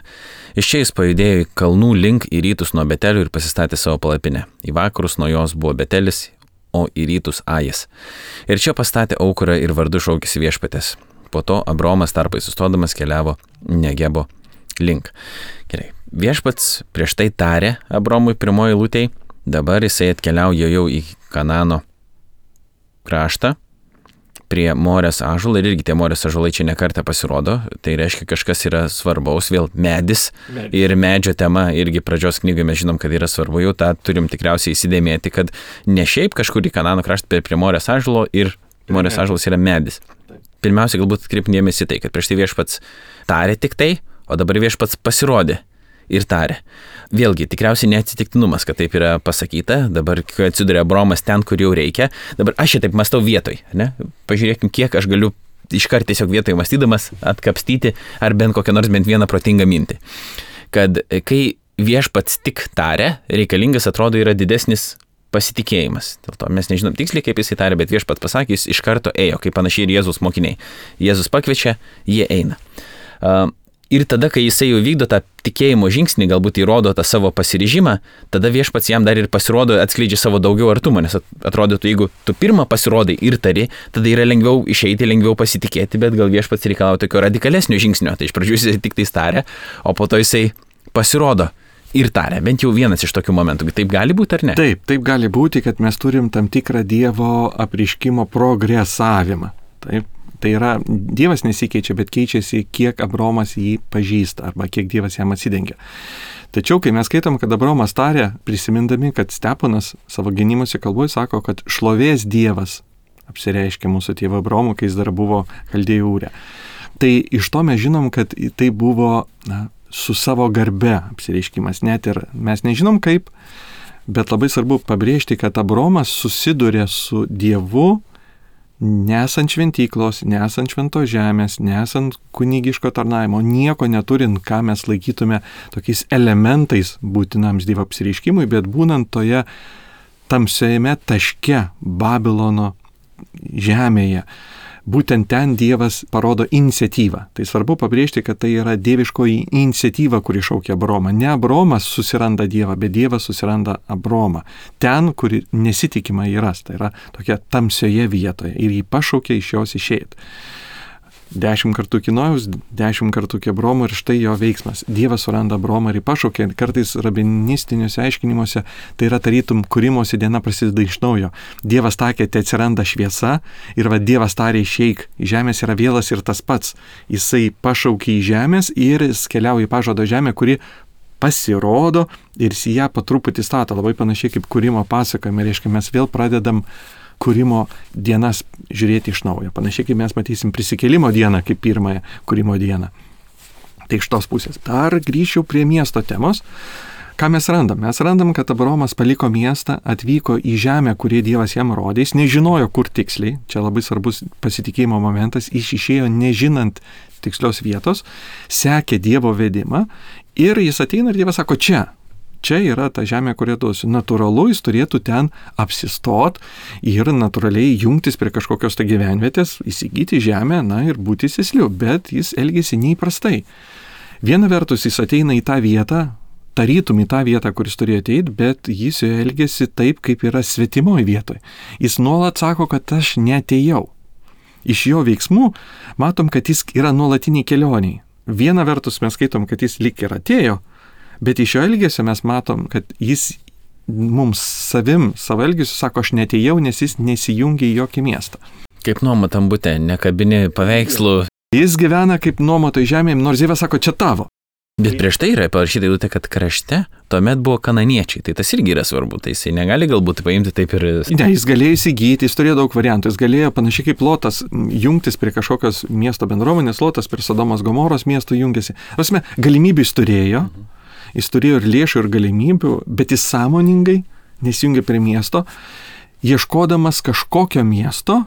Iš čia jis pajudėjo į kalnų link į rytus nuo Betelio ir pasistatė savo palapinę. Į vakarus nuo jos buvo Betelis, o į rytus Ajas. Ir čia pastatė aukurą ir vardu šaukėsi viešpatės. Po to Abromas tarpai sustodamas keliavo Negebo link. Gerai. Viešpats prieš tai tarė Abromui pirmoji eilutėj, dabar jisai atkeliauja jau į Kanano kraštą, prie Morės ąžuolo, ir irgi tie Morės ąžuolai čia nekartą pasirodo, tai reiškia kažkas yra svarbaus, vėl medis. Ir medžio tema irgi pradžios knygoje mes žinom, kad yra svarbu, jau tą turim tikriausiai įsidėmėti, kad ne šiaip kažkur į Kanano kraštą prie Morės ąžuolo ir Morės ąžuolas yra medis. Pirmiausia, galbūt atkreipkim dėmesį tai, kad prieš tai viešpats tarė tik tai, o dabar viešpats pasirodė ir tarė. Vėlgi, tikriausiai neatsitiktinumas, kad taip yra pasakyta, dabar atsiduria Abromas ten, kur jau reikia. Dabar aš šitaip mąstau vietoj, ne? Pažiūrėkim, kiek aš galiu iškart tiesiog vietoj mąstydamas atkapstyti ar bent kokią nors bent vieną protingą mintį. Kad kai viešpats tik tarė, reikalingas atrodo yra didesnis pasitikėjimas. Dėl to mes nežinom tiksliai, kaip jis įtarė, bet viešpats pasakė, jis iš karto ėjo, kaip panašiai ir Jėzus mokiniai. Jėzus pakviečia, jie eina. Ir tada, kai jisai jau vykdo tą tikėjimo žingsnį, galbūt įrodo tą savo pasiryžimą, tada viešpats jam dar ir pasirodo, atskleidžia savo daugiau artumą, nes atrodytų, jeigu tu pirmą pasirodai ir tari, tada yra lengviau išeiti, lengviau pasitikėti, bet gal viešpats reikalauja tokio radikalesnio žingsnio. Tai iš pradžių jisai tik tai tarė, o po to jisai pasirodo ir tarė. Bent jau vienas iš tokių momentų. Taip gali būti ar ne? Taip gali būti, kad mes turim tam tikrą Dievo apriškimo progresavimą. Taip. Tai yra, Dievas nesikeičia, bet keičiasi, kiek Abromas jį pažįsta arba kiek Dievas jam atsidengia. Tačiau, kai mes skaitom, kad Abromas tarė, prisimindami, kad Steponas savo gynimuose kalboje sako, kad šlovės Dievas apsireiškė mūsų tėvą Abromų, kai jis dar buvo Chaldėjų Ūre. Tai iš to mes žinom, kad tai buvo su savo garbe apsireiškimas. Net ir mes nežinom kaip, bet labai svarbu pabrėžti, kad Abromas susiduria su Dievu, nesant šventyklos, nesant šventos žemės, nesant kunigiško tarnaimo, nieko neturint, ką mes laikytume tokiais elementais būtinams Dievo apsireiškimui, bet būnant toje tamsiajame taške Babilono žemėje. Būtent ten Dievas parodo iniciatyvą. Tai svarbu pabrėžti, kad tai yra dieviškoji iniciatyva, kuri šaukia Abromą. Ne Abromas susiranda Dievą, bet Dievas susiranda Abromą. Ten, kur nesitikima jį ras. Tai yra tokia tamsioje vietoje. Ir jį pašaukia iš jos išeiti. 10 kartų iki Nojaus, 10 kartų iki Abromo ir štai jo veiksmas. Dievas suranda Abromą ir jį pašaukia. Kartais rabinistiniuose aiškinimuose tai yra tarytum kūrimosi diena prasideda iš naujo. Dievas takė, tai atsiranda šviesa ir Dievas tarė išeik. Žemės yra vėlas ir tas pats. Jisai pašaukia į žemės ir jis keliauja į pažado žemę, kuri pasirodo ir į ją po truputį stato. Labai panašiai kaip kūrimo pasakojime. Reiškia, mes vėl pradedam kūrimo dienas žiūrėti iš naujo. Panašiai kaip mes matysim prisikėlimo dieną kaip pirmąją kūrimo dieną. Tai iš tos pusės. Dar grįžčiau prie miesto temos. Ką mes randam? Mes randam, kad Abromas paliko miestą, atvyko į žemę, kurį Dievas jam rodė. Jis nežinojo, kur tiksliai. Čia labai svarbus pasitikėjimo momentas. Jis išėjo nežinant tikslios vietos, sekė Dievo vedimą ir jis ateina ir Dievas sako, čia yra ta žemė, kurią duosiu. Natūralu, jis turėtų ten apsistot ir natūraliai jungtis prie kažkokios tai gyvenvietės, įsigyti žemę, ir būti sėsliu, bet jis elgėsi neįprastai. Viena vertus, jis ateina į tą vietą, tarytum į tą vietą, kuris turėjo ateiti, bet jis jo elgėsi taip, kaip yra svetimoje vietoje. Jis nuolat sako, kad aš neatėjau. Iš jo veiksmų matom, kad jis yra nuolatiniai kelioniai. Viena vertus mes skaitom, kad jis lyg ir atėjo, bet iš jo elgesio mes matom, kad jis mums savo elgesiu sako, aš neatėjau, nes jis nesijungia į jokį miestą. Kaip nuomotam bute, nekabini paveikslų. Jis gyvena kaip nuomotoj žemėje, nors Dievas sako, čia tavo. Bet prieš tai yra parašyta eilutė, kad krašte tuomet buvo kananiečiai. Tai tas irgi yra svarbu. Tai jisai negali galbūt paimti taip ir... Ne, jis galėjo įsigyti, jis turėjo daug variantų. Jis galėjo panašiai kaip Lotas jungtis prie kažkokios miesto bendruomenės, Lotas prie Sodomos Gomoros miesto jungėsi. Prasme, galimybių jis turėjo ir lėšų, ir galimybių, bet jis sąmoningai nesijungė prie miesto, ieškodamas kažkokio miesto,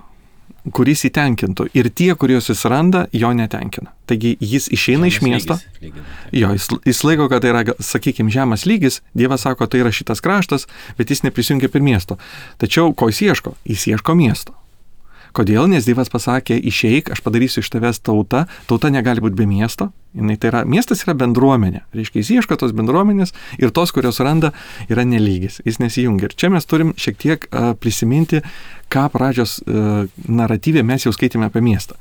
kuris įtenkintų. Ir tie, kuriuos jis randa, jo netenkina. Taigi jis išeina iš miesto. Jo, jis laiko, kad tai yra, sakykime, žemas lygis. Dievas sako, tai yra šitas kraštas, bet jis neprisijungia prie miesto. Tačiau ko jis ieško? Jis ieško miesto. Kodėl? Nes Dievas pasakė, išeik, aš padarysiu iš tavęs tautą. Tauta negali būti be miesto. Miestas yra bendruomenė. Reiškia, jis ieško tos bendruomenės ir tos, kurios randa, yra nelygis. Jis nesijungia. Ir čia mes turim šiek tiek prisiminti, ką pradžios naratyvė mes jau skaitėme apie miestą.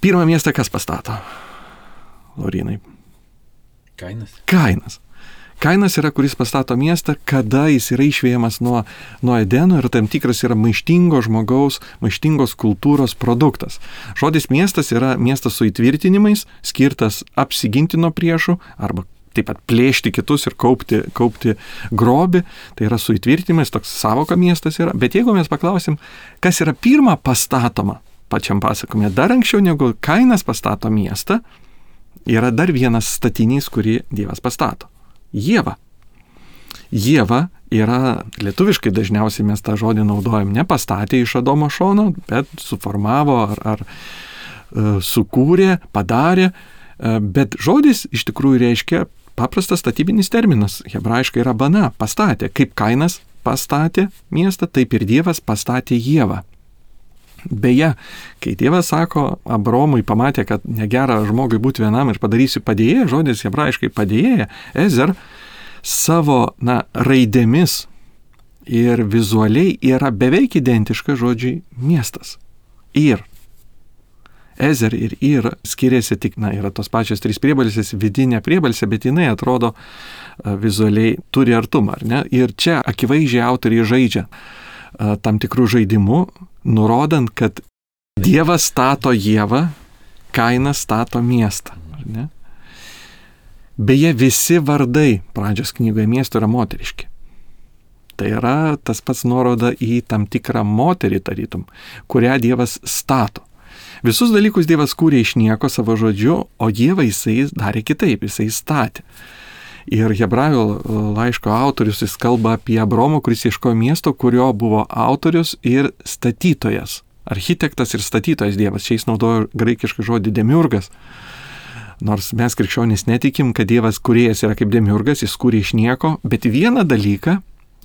Pirmą miestą kas pastato? Laurinai. Kainas. Kainas yra, kuris pastato miestą, kada jis yra išvėjamas nuo Edeno ir tam tikras yra maištingo žmogaus, maištingos kultūros produktas. Žodis miestas yra miestas su įtvirtinimais, skirtas apsiginti nuo priešų arba taip pat plėšti kitus ir kaupti grobį. Tai yra su įtvirtinimais, toks savoka miestas yra. Bet jeigu mes paklausim, kas yra pirma pastatoma pačiam pasakome, dar anksčiau negu Kainas pastato miestą, yra dar vienas statinys, kurį Dievas pastato. Ieva. Ieva yra, lietuviškai dažniausiai mes tą žodį naudojam, ne pastatė iš Adomo šono, bet suformavo ar sukūrė, padarė, bet žodis iš tikrųjų reiškia paprastas statybinis terminas, hebrajiškai yra bana, pastatė, kaip Kainas pastatė miestą, taip ir Dievas pastatė Ievą. Beje, kai Dievas sako, Abromui pamatė, kad negera žmogui būti vienam ir padarysiu padėjėją, žodis hebrajiškai padėjėja, Ezer, savo raidėmis ir vizualiai yra beveik identiška žodžiai miestas. Ir. Ezer ir Ir skiriasi tik, yra tos pačios trys priebalsės, vidinė priebalsė, bet jinai atrodo vizualiai turi artumą, ar ne? Ir čia akivaizdžiai autoriai žaidžia tam tikrų žaidimų, nurodant, kad Dievas stato Ievą, Kainas stato miestą. Ar ne? Beje, visi vardai pradžios knygoje miesto yra moteriški. Tai yra tas pats nuoroda į tam tikrą moterį tarytum, kurią Dievas stato. Visus dalykus Dievas kūrė iš nieko savo žodžiu, o Dievą jisai darė kitaip, jisai statė. Ir Hebrajų laiško autorius jis kalba apie Abromą, kuris ieškojo miesto, kurio buvo autorius ir statytojas. Architektas ir statytojas Dievas. Čia jis naudojo graikišką žodį demiurgas. Nors mes krikščionys netikim, kad Dievas kūrėjas yra kaip demiurgas, jis kūrė iš nieko, bet vieną dalyką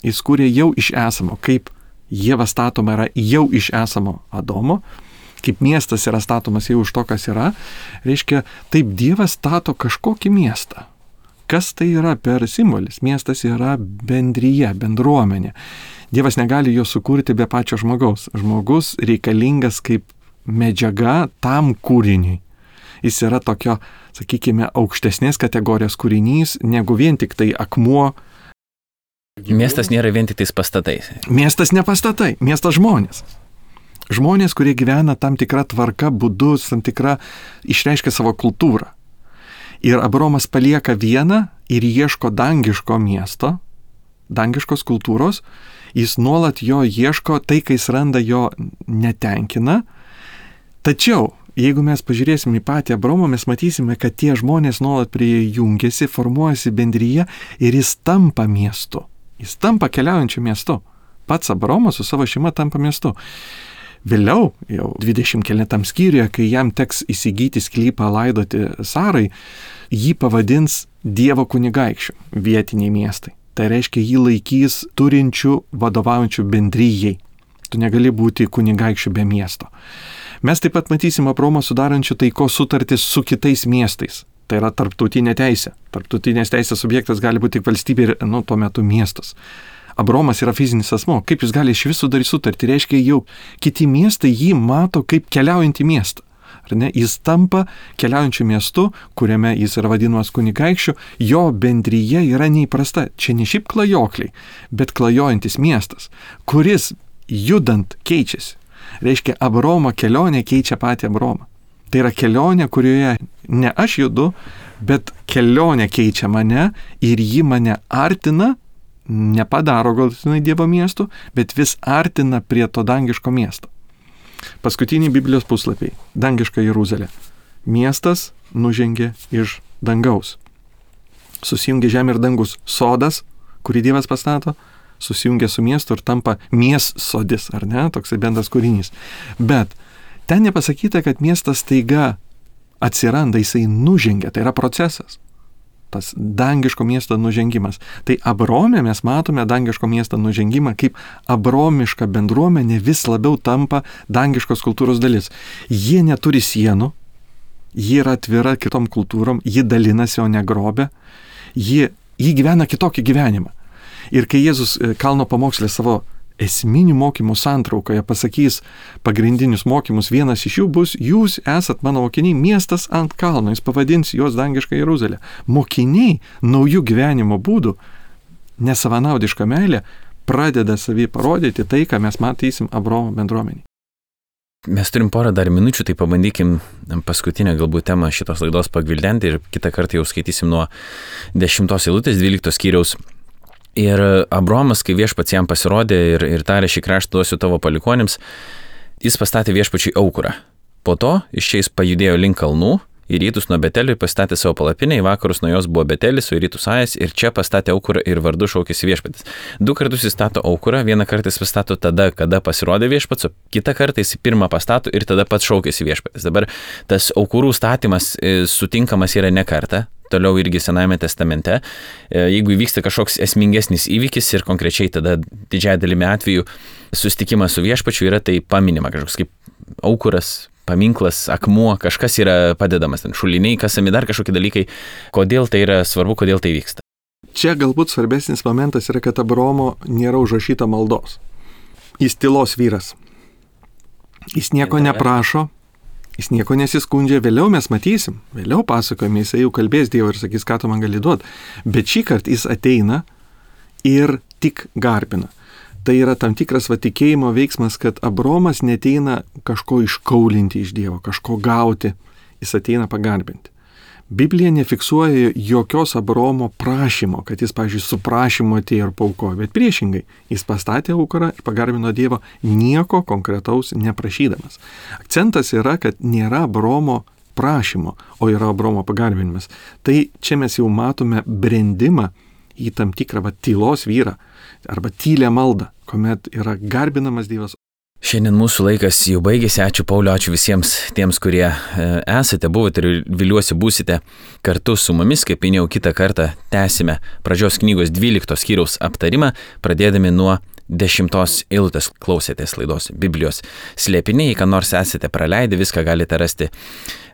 jis kūrė jau iš esamo. Kaip Ieva statoma yra jau iš esamo Adomo, kaip miestas yra statomas jau iš to, kas yra, reiškia, taip Dievas stato kažkokį miestą. Kas tai yra per simbolis? Miestas yra bendryje, bendruomenė. Dievas negali jo sukurti be pačio žmogaus. Žmogus reikalingas kaip medžiaga tam kūriniui. Jis yra tokio, sakykime, aukštesnės kategorijos kūrinys, negu vien tik tai akmuo. Miestas nėra vien tik tais pastatai. Miestas ne pastatai, miestas žmonės. Žmonės, kurie gyvena tam tikrą tvarką, būdus, tam tikrą išreiškia savo kultūrą. Ir Abromas palieka vieną ir ieško dangiško miesto, dangiškos kultūros, jis nuolat jo ieško, tai, kai jis randa, jo netenkina. Tačiau, jeigu mes pažiūrėsime į patį Abromą, mes matysime, kad tie žmonės nuolat prie jungiasi, formuojasi bendryje ir jis tampa miestu. Jis tampa keliaujančiu miestu. Pats Abromas su savo šeima tampa miestu. Vėliau, jau 20 skyriuje, kai jam teks įsigyti sklypą laidoti Sarai, jį pavadins Dievo kunigaikščiu, vietiniai miestai. Tai reiškia, jį laikys turinčių, vadovaujančių bendryjei. Tu negali būti kunigaikščiu be miesto. Mes taip pat matysim Abromą sudarančių taikos sutartis su kitais miestais. Tai yra tarptautinė teisė. Tarptautinės teisės subjektas gali būti tik valstybė ir, tuo metu miestas. Abromas yra fizinis asmo. Kaip jis gali iš visų daryti sutartį? Reiškia, jau kiti miestai jį mato kaip keliaujantį miestą. Ar ne? Jis tampa keliaujančiu miestu, kuriame jis yra vadinamas kunigaikščiu. Jo bendryje yra neįprasta. Čia ne šiaip klajokliai, bet klajojantis miestas, kuris judant keičiasi. Reiškia, Abraomo kelionė keičia patį Abraomą. Tai yra kelionė, kurioje ne aš judu, bet kelionė keičia mane ir ji mane artina, nepadaro galutinai Dievo miestu, bet vis artina prie to dangiško miesto. Paskutiniai Biblijos puslapiai. Dangiška Jeruzalė. Miestas nužengė iš dangaus. Susijungia žemė ir dangus. Sodas, kurį Dievas pastato, susijungia su miestu ir tampa miestsodis, ar ne? Toksai bendras kūrinys. Bet ten nepasakyta, kad miestas staiga atsiranda, jisai nužengia, tai yra procesas. Tas dangiško miesto nužengimas. Tai Abrome mes matome dangiško miesto nužengimą, kaip abromiška bendruomenė vis labiau tampa dangiškos kultūros dalis. Jie neturi sienų, ji yra atvira kitom kultūrom, ji dalinasi, o ne grobia, ji gyvena kitokį gyvenimą. Ir kai Jėzus kalno pamokslė savo esminių mokymų santraukoje pasakys pagrindinius mokymus, vienas iš jų bus: jūs esat mano mokiniai, miestas ant kalno, jis pavadins juos dangišką Jeruzalę. Mokiniai naujų gyvenimo būdų, nesavanaudiška meilė, pradeda savį parodyti tai, ką mes matysim Abraomo bendruomenį. Mes turim porą dar minučių, tai pabandykim paskutinę galbūt temą šitos laidos pagvildenti ir kitą kartą jau skaitysim nuo 10 eilutės 12 skyriaus. Ir Abraomas, kai viešpats jam pasirodė ir tarė: šį kraštą duosiu tavo palikuonims, jis pastatė viešpačiui aukurą. Po to iš čia jis pajudėjo link kalnų, į rytus nuo Betelio ir pastatė savo palapinę, į vakarus nuo jos buvo Betelis, o į rytus Ajas, ir čia pastatė aukurą ir vardu šaukėsi viešpatis. 2 kartus jis stato aukurą, vieną kartą jis pastato tada, kada pasirodė viešpats, o kitą kartą jis pirmą pastato ir tada pats šaukėsi viešpatis. Dabar tas aukurų statymas sutinkamas yra ne kartą. Toliau irgi Senajame testamente, jeigu įvyksta kažkoks esmingesnis įvykis ir konkrečiai tada didžiąją dalimi atveju susitikimas su viešpačiu yra tai paminima, kažkoks kaip aukuras, paminklas, akmuo, kažkas yra padedamas, ten šuliniai, kasami, dar kažkokie dalykai. Kodėl tai yra svarbu, kodėl tai vyksta? Čia galbūt svarbesnis momentas yra, kad Abraomo nėra užrašyta maldos. Jis tylos vyras. Jis nieko neprašo. Jis nieko nesiskundžia, vėliau mes matysim, vėliau pasakojame, jisai jau kalbės Dievą ir sakys, ką tu man gali duoti. Bet šį kartą jis ateina ir tik garbina. Tai yra tam tikras tikėjimo veiksmas, kad Abraomas neteina kažko iškaulinti iš Dievo, kažko gauti, jis ateina pagarbinti. Biblija nefiksuoja jokios Abraomo prašymo, kad jis, pavyzdžiui, su prašymu atėjo ir paukojo, bet priešingai, jis pastatė aukurą ir pagarbino Dievą nieko konkretaus neprašydamas. Akcentas yra, kad nėra Abraomo prašymo, o yra Abraomo pagarbinimas. Tai čia mes jau matome brendimą į tam tikrą tylos vyrą arba tylę maldą, kuomet yra garbinamas Dievas. Šiandien mūsų laikas jau baigėsi. Ačiū Pauliau, ačiū visiems tiems, kurie esate, buvote ir viliuosi būsite kartu su mumis. Kaip minėjau, kitą kartą tęsime pradžios knygos 12 skyriaus aptarimą, pradėdami nuo 10 eilutės. Klausėtės laidos Biblijos slėpiniai. Ką nors esate praleidę, viską galite rasti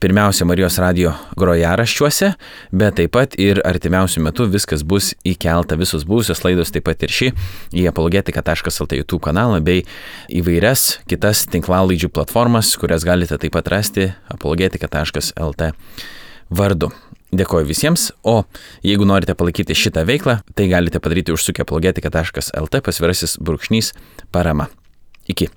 pirmiausia Marijos radijo grojaraščiuose, bet taip pat ir artimiausių metų viskas bus įkelta, visos buvusios laidos, taip pat ir ši, į apologetika.lt YouTube kanalą bei įvairias kitas tinklalaidžių platformas, kurias galite taip pat rasti apologetika.lt vardu. Dėkoju visiems, o jeigu norite palaikyti šitą veiklą, tai galite padaryti užsukę apologetika.lt /parama. Iki.